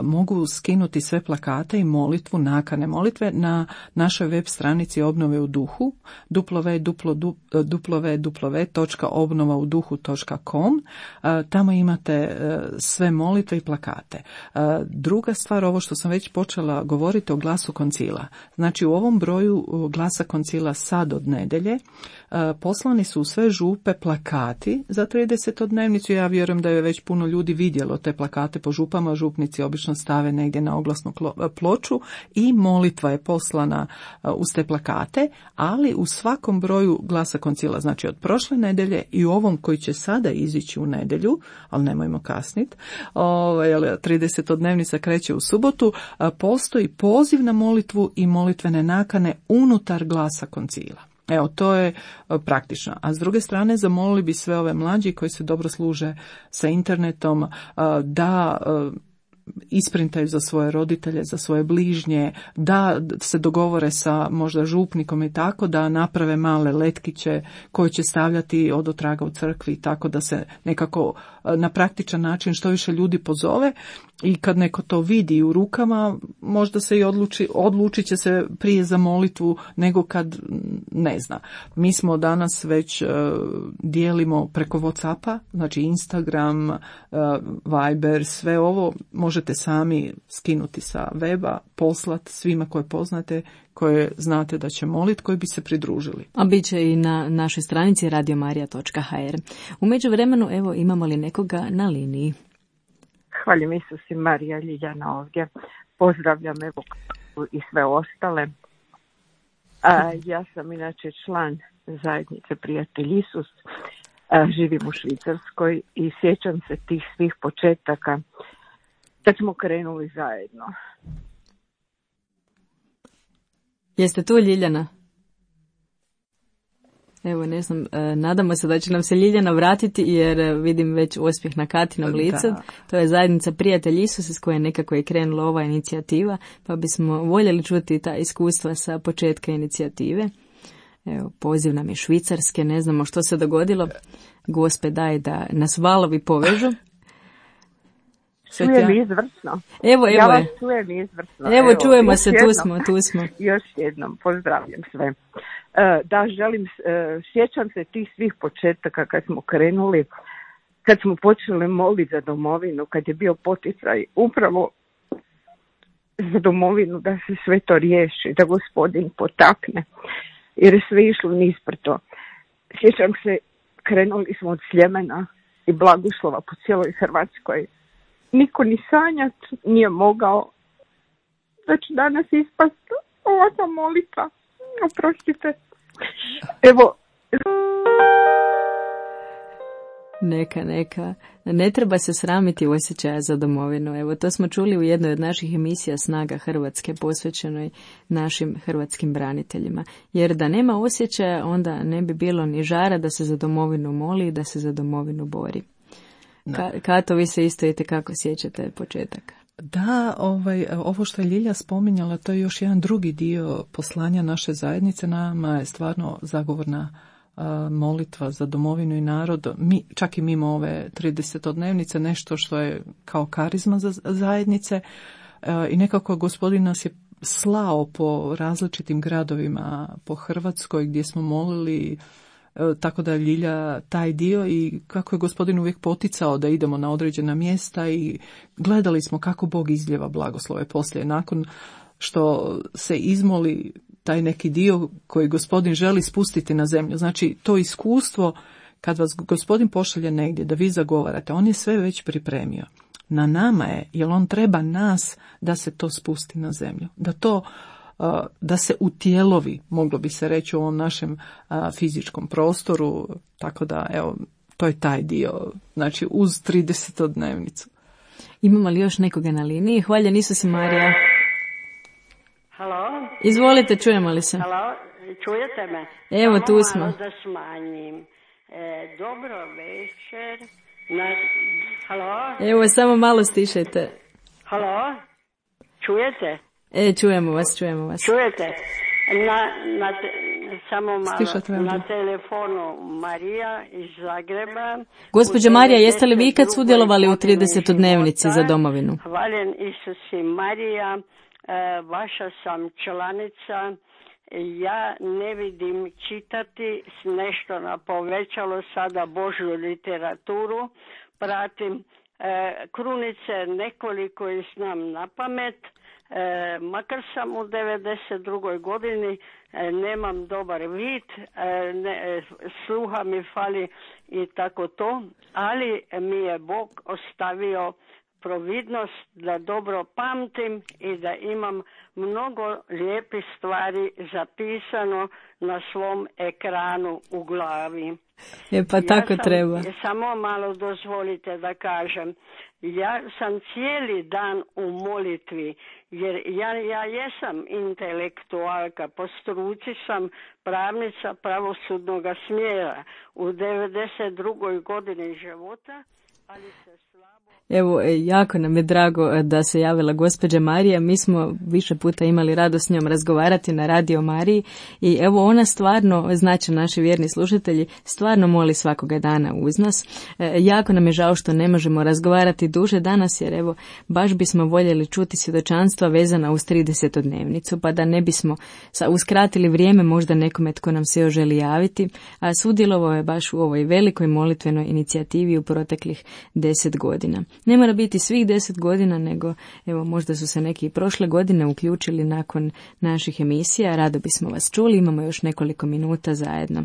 mogu skinuti sve plakate i molitvu, nakane molitve na našoj web stranici Obnove u duhu, www.obnovauduhu.com. Tamo imate sve molitve i plakate. Druga stvar, ovo što sam već počela govoriti o glasu koncila. Znači, u ovom broju glasa koncila sad od nedelje poslani su u sve župe plakati za 30-dnevnicu. Ja vjerujem da je već puno ljudi vidjelo te plakate po župama. Župnici obično stave negdje na oglasnu ploču i molitva je poslana uz te plakate, ali u svakom broju glasa koncila, znači od prošle nedelje i u ovom koji će sada izići u nedjelju, ali nemojmo kasniti, 30-dnevnica kreće u subotu, postoji poziv na molitvu i molitvene nakane unutar glasa koncila. Evo, to je praktično. A s druge strane, zamolili bi sve ove mlađi koji se dobro služe sa internetom da isprintaju za svoje roditelje, za svoje bližnje, da se dogovore sa možda župnikom i tako, da naprave male letkiće koje će stavljati odotraga u crkvi, tako da se nekako na praktičan način što više ljudi pozove i kad neko to vidi u rukama, možda se i odlučit će se prije za molitvu nego kad ne zna. Mi smo danas već dijelimo preko WhatsAppa, znači Instagram, Viber, sve ovo možete sami skinuti sa weba, poslati svima koje poznate, koje znate da će moliti, koji bi se pridružili. A bit će i na našoj stranici radiomarija.hr. U međuvremenu, evo, imamo li nekoga na liniji?
Hvaljujem Isus i Marija, Ljiljana ovdje. Pozdravljam evo i sve ostale. Ja sam inače član zajednice Prijatelj Isus. Živim u Švicarskoj i sjećam se tih svih početaka kad smo krenuli zajedno.
Jeste tu, Ljiljana? Evo, ne znam, nadamo se da će nam se Ljiljana vratiti jer vidim već uspjeh na Katinom licu. Da. To je zajednica Prijatelj Isus s koje nekako je krenula ova inicijativa, pa bismo voljeli čuti ta iskustva sa početka inicijative. Evo, poziv nam je Švicarske, ne znamo što se dogodilo. Gospe, daj da nas valovi povežu.
Čujem izvrsno.
Evo
ja vas čujem izvrsno.
Evo, čujemo se, tu smo.
Još jednom, pozdravljam sve. Da, sjećam se tih svih početaka kad smo krenuli, kad smo počeli moliti za domovinu, kad je bio poticaj upravo za domovinu da se sve to riješi, da Gospodin potakne, jer je sve išlo nisprto. Sjećam se, krenuli smo od Sljemena i blagoslova po cijeloj Hrvatskoj. Niko ni sanjat nije mogao da će danas ispasti ovakva molitva. Oprostite. Evo.
Neka. Ne treba se sramiti osjećaja za domovinu. Evo, to smo čuli u jednoj od naših emisija Snaga Hrvatske, posvećenoj našim hrvatskim braniteljima. Jer da nema osjećaja, onda ne bi bilo ni žara da se za domovinu moli i da se za domovinu bori. Kato, vi se isto kako sjećate početak?
Da, ovo što je Ljilja spominjala, to je još jedan drugi dio poslanja naše zajednice. Nama je stvarno zagovorna molitva za domovinu i narod, čak i mimo ove 30-dnevnice, nešto što je kao karizma za zajednice i nekako Gospodin nas je slao po različitim gradovima po Hrvatskoj gdje smo molili, tako da Ljilja taj dio i kako je Gospodin uvijek poticao da idemo na određena mjesta i gledali smo kako Bog izljeva blagoslove poslije, nakon što se izmoli taj neki dio koji Gospodin želi spustiti na zemlju. Znači, to iskustvo kad vas Gospodin pošalje negdje da vi zagovarate, on je sve već pripremio. Na nama je, jer on treba nas da se to spusti na zemlju. Da se utjelovi, moglo bi se reći, u ovom našem fizičkom prostoru, tako da, evo, to je taj dio, znači uz 30-dnevnicu.
Imamo li još nekoga na liniji? Hvaljen Isus i Marija.
Halo?
Izvolite, čujemo li se?
Halo, čujete me?
Evo,
samo
tu smo.
malo da smanjim. Dobro večer. Halo?
Evo, samo malo stišajte.
Halo? Čujete?
Čujemo vas.
Čujete? Samo malo. Na telefonu Marija iz Zagreba.
Gospođa Marija, jeste li vi kad sudjelovali u 30-dnevnici za domovinu?
Hvaljen Isus i Marija, vaša sam članica. Ja ne vidim čitati nešto na povećalo sada Božju literaturu. Pratim krunice nekoliko i znam na pamet. Makar sam u 92. godini, nemam dobar vid, sluha mi fali i tako to, ali mi je Bog ostavio providnost da dobro pamtim i da imam mnogo lijepih stvari zapisano na svom ekranu u glavi.
Pa tako treba.
Samo malo dozvolite da kažem. Ja sam cijeli dan u molitvi, jer ja jesam intelektualka, po struci sam pravnica pravosudnog smjera u 92. godini života, ali se slabo...
Evo, jako nam je drago da se javila gospođa Marija. Mi smo više puta imali radost s njom razgovarati na Radio Mariji i evo ona stvarno, znači naši vjerni slušatelji, stvarno moli svakoga dana uz nas. Jako nam je žao što ne možemo razgovarati duže danas, jer evo baš bismo voljeli čuti svjedočanstva vezana uz 30-dnevnicu, pa da ne bismo uskratili vrijeme možda nekome tko nam se još želi javiti, a sudjelovao je baš u ovoj velikoj molitvenoj inicijativi u proteklih 10 godina. Ne mora biti svih 10 godina, nego evo možda su se neki prošle godine uključili nakon naših emisija. Rado bismo vas čuli, imamo još nekoliko minuta zajedno.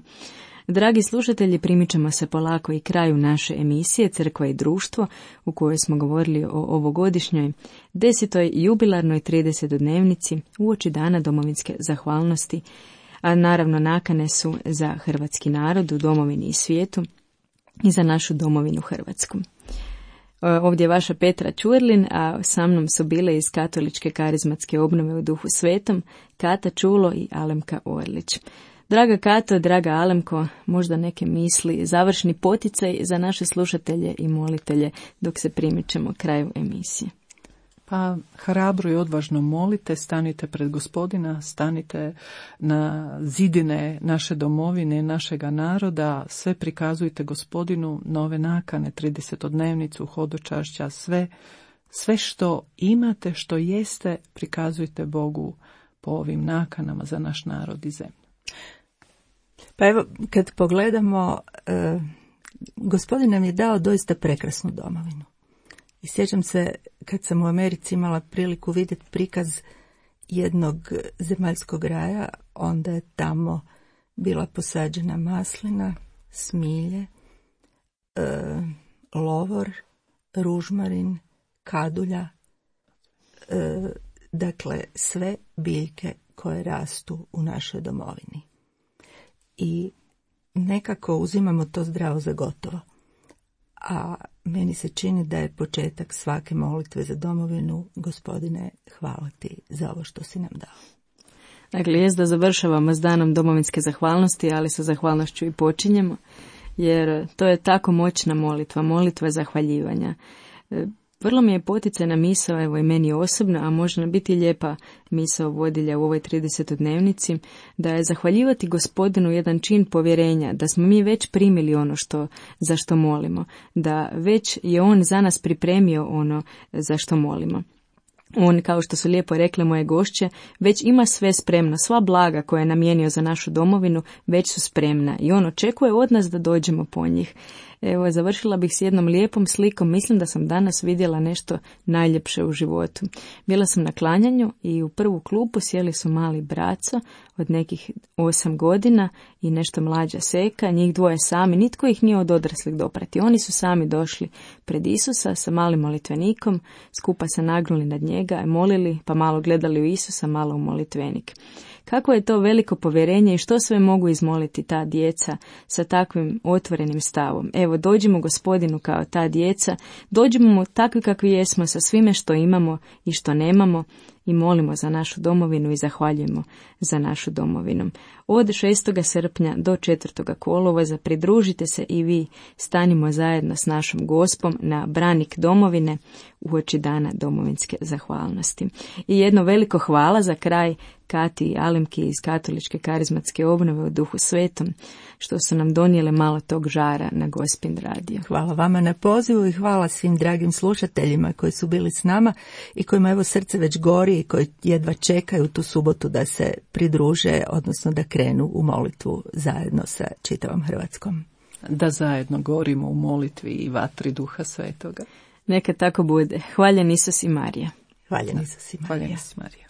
Dragi slušatelji, primit ćemo se polako i kraju naše emisije Crkva i društvo, u kojoj smo govorili o ovogodišnjoj 10. jubilarnoj 30-dnevnici uoči Dana domovinske zahvalnosti, a naravno nakane su za hrvatski narod u domovini i svijetu i za našu domovinu Hrvatsku. Ovdje je vaša Petra Ćurlin, a sa mnom su bile iz Katoličke karizmatske obnove u Duhu Svetom Kata Čulo i Alemka Orlić. Draga Kato, draga Alemko, možda neke misli, završni poticaj za naše slušatelje i molitelje dok se primičemo kraju emisije.
Pa hrabro i odvažno molite, stanite pred Gospodina, stanite na zidine naše domovine, našega naroda, sve prikazujte Gospodinu, nove nakane, 30-dnevnicu, hodočašća, sve što imate, što jeste, prikazujte Bogu po ovim nakanama za naš narod i zemlju.
Pa evo, kad pogledamo, Gospodin nam je dao doista prekrasnu domovinu. I sjećam se kad sam u Americi imala priliku vidjeti prikaz jednog zemaljskog raja, onda je tamo bila posađena maslina, smilje, lovor, ružmarin, kadulja, dakle sve biljke koje rastu u našoj domovini. I nekako uzimamo to zdravo za gotovo. A meni se čini da je početak svake molitve za domovinu, Gospodine, hvala ti za ovo što si nam dao.
Dakle, jest da završavamo s danom domovinske zahvalnosti, ali sa zahvalnošću i počinjemo, jer to je tako moćna molitva zahvaljivanja. Vrlo mi je poticajna misao, evo i meni osobno, a može nam biti lijepa misao vodilja u ovoj 30-dnevnici, da je zahvaljivati Gospodinu jedan čin povjerenja, da smo mi već primili ono za što molimo, da već je On za nas pripremio ono za što molimo. On, kao što su lijepo rekle moje gošće, već ima sve spremno, sva blaga koje je namijenio za našu domovinu već su spremna i on očekuje od nas da dođemo po njih. Evo, završila bih s jednom lijepom slikom. Mislim da sam danas vidjela nešto najljepše u životu. Bila sam na klanjanju i u prvu klupu sjeli su mali braco od nekih 8 godina i nešto mlađa seka, njih dvoje sami, nitko ih nije od odraslih doprati. Oni su sami došli pred Isusa sa malim molitvenikom, skupa se nagnuli nad njega, molili, pa malo gledali u Isusa, malo u molitvenik. Kako je to veliko povjerenje i što sve mogu izmoliti ta djeca sa takvim otvorenim stavom. Evo, dođimo Gospodinu kao ta djeca, dođimo mu takvi kakvi jesmo sa svime što imamo i što nemamo i molimo za našu domovinu i zahvaljujemo za našu domovinu. Od 6. srpnja do 4. kolovoza pridružite se i vi, stanimo zajedno s našom Gospom na branik domovine uoči dana domovinske zahvalnosti. I jedno veliko hvala za kraj Kati i Alemki iz Katoličke karizmatske obnove u Duhu Svetom, što su nam donijele malo tog žara na Gospin radio.
Hvala vama na pozivu i hvala svim dragim slušateljima koji su bili s nama i kojima evo srce već gori i koji jedva čekaju tu subotu da se pridruže, odnosno da krenu u molitvu zajedno sa čitavom Hrvatskom.
Da zajedno gorimo u molitvi i vatri Duha Svetoga.
Neka tako bude. Hvaljen Isus i Marija.
Hvaljen Isus i Marija.
Hvaljen Isus Marija.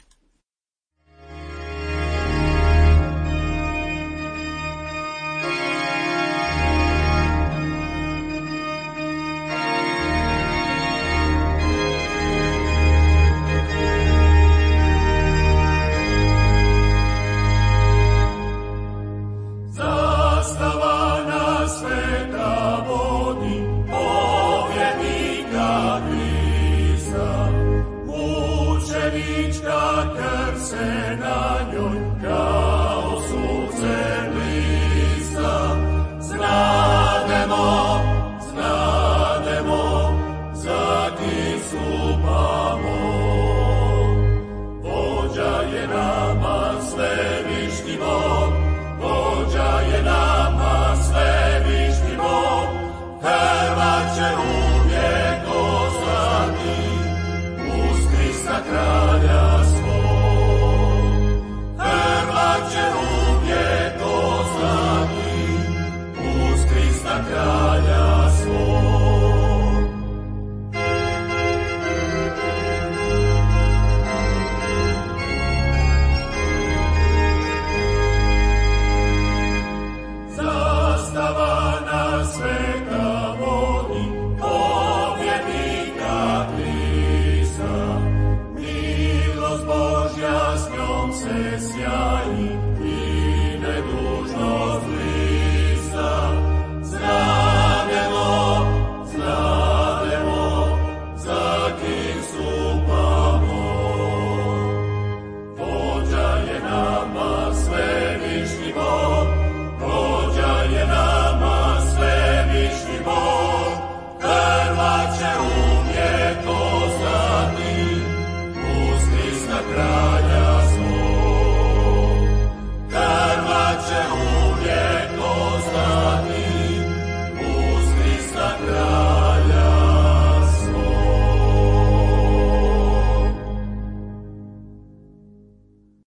se sjaji.